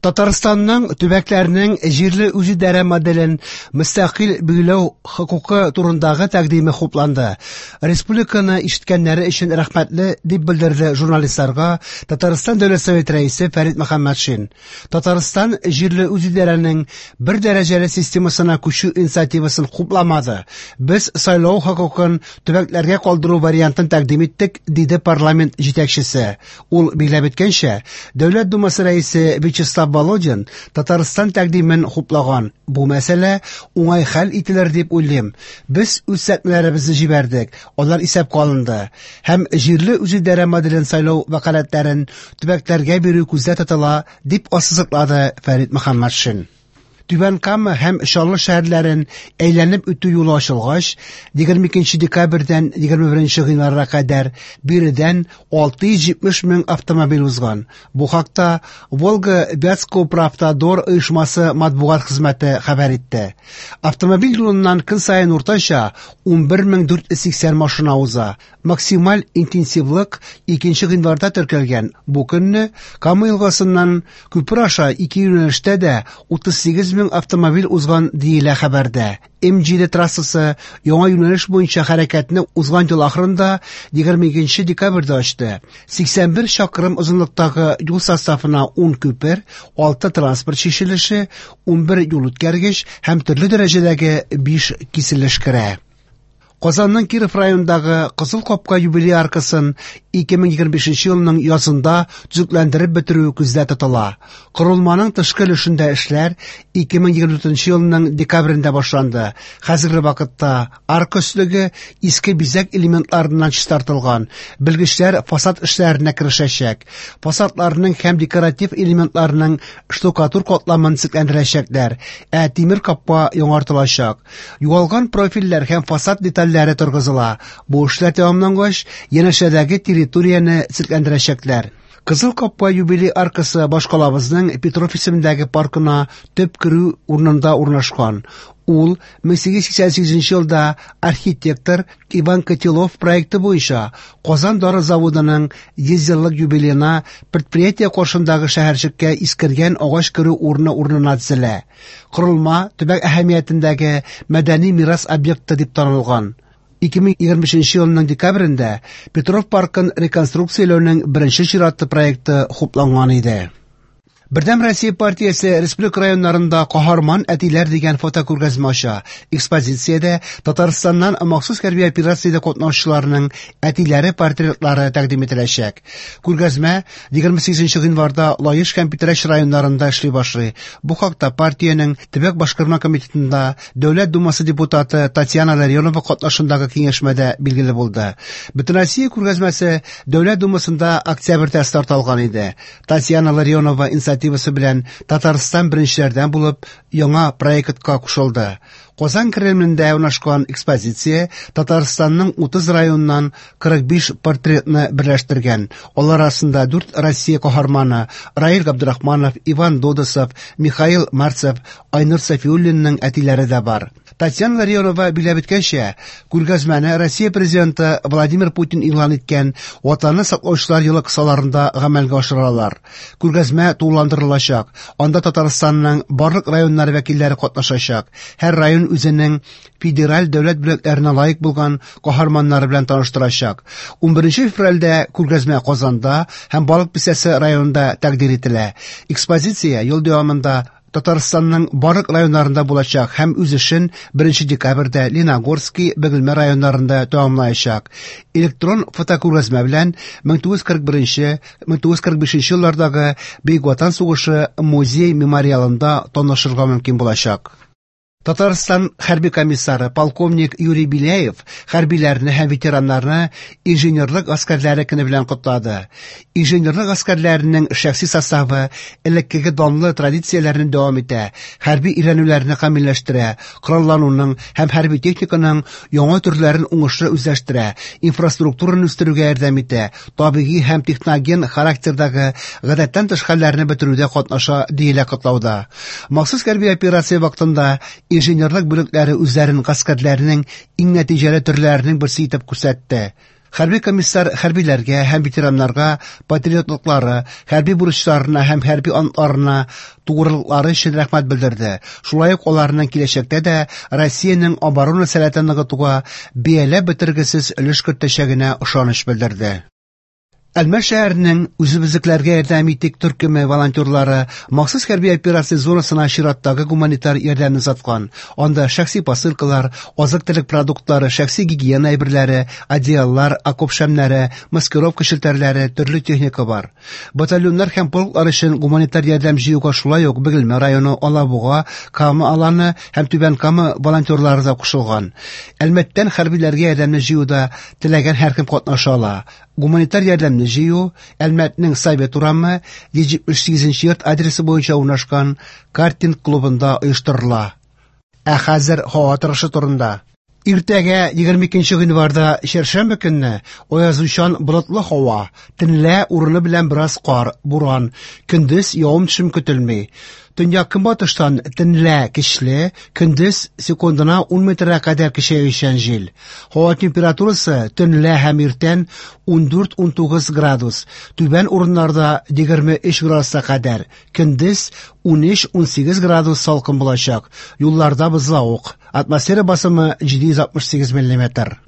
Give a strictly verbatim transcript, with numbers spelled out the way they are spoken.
Татарстанның төбәкләренең җирле үзидарә моделен мөстәкыйль билгеләү хокукы турындагы тәкъдиме хупланды. Республиканы ишеткәннәре өчен рәхмәтле, дип белдерде журналистларга Татарстан Дәүләт Советы рәисе Фәрит Мөхәммәтшин. Татарстан җирле үзидарәнең бер дәрәҗәле системасына күчү инициативасын хупламады. Без сайлау хокукын төбәкләргә калдыру вариантын тәкъдим иттек, диде парламент җитәкчесе. Ул билгеләп үткәнчә, Дәүләт Думасы рәисе Вячеслав Володин Татарстан тәкъдимен хуплаган. Бу мәсьәлә уңай хәл ителер дип уйлыйм. Без үз тәкъдимнәребезне җибәрдек, алар исәпкә алынды. Һәм җирле үзидарә моделен сайлау вәкаләтләрен төбәкләргә бирү күздә тотыла, дип ассызыклады Фәрит Мөхәммәтшин. Түбән Кама һәм Чаллы шәһәрләрен әйләнеп үтү юлы ачылгач, егерме икенче декабрьдән егерме беренче гыйнварга кадәр биредән алты йөз җитмеш мең автомобиль узган. Бу хакта Волго-Вятскоуправтодор оешмасы матбугат хезмәте хәбәр итте. Автомобиль юлыннан көн саен уртача унбер мең дүрт йөз сиксән машина уза. Максималь интенсивлык икенче гыйнварда теркәлгән. Бу көнне Кама елгасыннан күпер аша ике юнәлештә дә утыз сигез мең автомобиль узган диелә хәбәрдә. М җиде трассасы яңа юнәлеш буенча хәрәкәтне узган ел ахырында егерме икенче декабрьдә ачты. Сиксән бер чакрым озынлыктагы юл составына ун күпер, алты транспорт чишелеше, унбер юл үткәргеч һәм төрле дәрәҗәдәге биш киселеш керә. Казанның Киров районындагы Кызыл Капка юбилей аркасын ике мең егерме бишенче елның язында төзекләндереп бетерү күздә тотыла. Корылманың тышкы өлешендә эшләр ике мең егерме дүртенче елның декабрендә башланды. Хәзерге вакытта арка өслеге иске бизәк элементларыннан чистартылган. Белгечләр фасад эшләренә керешәчәк. Фасадларның һәм декоратив элементларның штукатур катламын төзекләндерәчәкләр, ә тимер капка яңартылачак. Югалган профильләр һәм фасад детальләре торгызыла. Бу эшләр тәмамлангач, янәшәдәге территорияне төзекләндерәчәкләр. Кызыл Капка юбилей аркасы башкалабызның Петров исемендәге паркына төп керү урынында урнашкан. Ул мең сигез йөз сиксән сигезенче елда архитектор Иван Котелов проекты буенча Казан дары заводының йөз еллык юбилеена предприятие каршындагы шәһәрчеккә искергән агач керү урыны урынына төзелә. Корылма төбәк әһәмиятендәге мәдәни мирас объекты дип танылган. Ике мең егерме өченче елның декабрендә Петров паркын реконструкцияләүнең беренче чиратлы проекты хупланган иде. Бердәм Россия партиясе республика районнарында Каһарман әтиләр дигән фотокүргәзмә ача. Экспозициядә Татарстаннан махсус хәрби операциядә катнашучыларның әтиләре портретлары тәкъдим ителәчәк. Күргәзмә егерме сигезенче гыйнварда Лаеш һәм Питрәч районнарында эшли башлый. Бу хакта партиянең төбәк башкарма комитетында Дәүләт Думасы депутаты Татьяна Ларионова катнашындагы киңәшмәдә билгеле булды. Бөтенроссия күргәзмәсе Дәүләт Думасында октябрьдә старт алган иде. Татьяна Ларионова инициативасы белән Татарстан беренчеләрдән булып яңа проектка кушылды. Казан Кремлендә урнашкан экспозиция Татарстанның утыз районыннан кырык биш портретны берләштергән. Алар арасында дүрт Россия каһарманы Раил Габдрахманов, Иван Додосов, Михаил Марцев, Айнур Сафиуллинның әтиләре дә бар. Татьяна Ларионова билгеләп үткәнчә, күргәзмәне Россия президенты Владимир Путин игълан иткән Ватанны саклаучылар елы кысаларында гамәлгә ашыралар. Күргәзмә тулыландырылачак. Анда Татарстанның барлык районнары вәкилләре катнашачак. Һәр район үзенең федераль дәүләт бүләкләренә лаек булган каһарманнары белән таныштырачак. Унберенче февральдә күргәзмә Казанда һәм Балык Бистәсе районында тәкъдир ителә. Экспозиция ел дәвамында Татарстанның барлык районнарында булачак һәм үз эшен беренче декабрьдә Лениногорский, Бөгелмә районнарында тәмамлаячак. Электрон фотокүргәзмә белән мең тугыз кырык беренче, мең тугыз кырык бишенче еллардагы Бөек Ватан сугышы музей мемориалында танышырга мөмкин булачак. Татарстан хәрби комиссары полковник Юрий Беляев хәрбиләрне һәм ветераннарны инженерлык гаскәрләре көне белән котлады. Инженерлык гаскәрләренең шәхси составы элеккеге данлы традицияләрне дәвам итә, хәрби өйрәнүләрне камилләштерә, кораллануның һәм хәрби техниканың яңа төрләрен уңышлы үзләштерә, инфраструктураны үстерүгә ярдәм итә, табигый һәм техноген характердагы гадәттән тыш хәлләрне бетерүдә катнаша, диелә котлауда. Махсус хәрби операция вакытында инженерлык бүлекләре үзләрен гаскәрләренең иң нәтиҗәле төрләренең берсе итеп күрсәтте. Хәрби комиссар хәрбиләргә һәм ветераннарга патриотлыклары, хәрби бурычларына һәм хәрби антларына тугрылыклары өчен рәхмәт белдерде. Шулай ук аларның киләчәктә дә Россиянең оборона сәләтен ныгытуга бәяләп бетергесез өлеш кертәчәгенә ышаныч белдерде. Әлмәт шәһәренең «Үзебезнекеләргә ярдәм итик» төркеме волонтерлары махсус хәрби операция зонасына чираттагы гуманитар ярдәмне озаткан. Анда шәхси посылкалар, азык-төлек продуктлары, шәхси гигиена әйберләре, одеяллар, окоп шәмнәре, маскировка челтәрләре, төрле техника бар. Батальоннар һәм полклар өчен гуманитар ярдәм җыюга шулай ук Бөгелмә районы, Алабуга, Кама Аланы һәм Түбән Кама волонтерлары да кушылган. Әлмәттән хәрбиләргә ярдәмне җыюда теләгән һәркем катнаша ала. Гуманитар ярдәмне җыю Әлмәтнең Совет урамы йөз җитмеш сигезенче йорт адресы буенча урнашкан картинг клубында оештырыла. Ә хәзер һава торышы турында. Иртәгә егерме икенче гыйнварда чәршәмбе көнне аязучан болытлы һава, төнлә урыны белән бераз кар, буран, көндез явым-төшем көтелми. Төньяк көнбатыштан төнлә көчле, көндез секундына ун метрга кадәр көчәючән җил. Һава температурасы төнлә һәм иртән ун дүрт-ун тугыз градус, түбән урыннарда егерме өч градуска кадәр, көндез ун өч-ун сигез градус салкын булачак. Юлларда бозлавык. Атмосфера басымы җиде йөз алтмыш сигез миллиметр.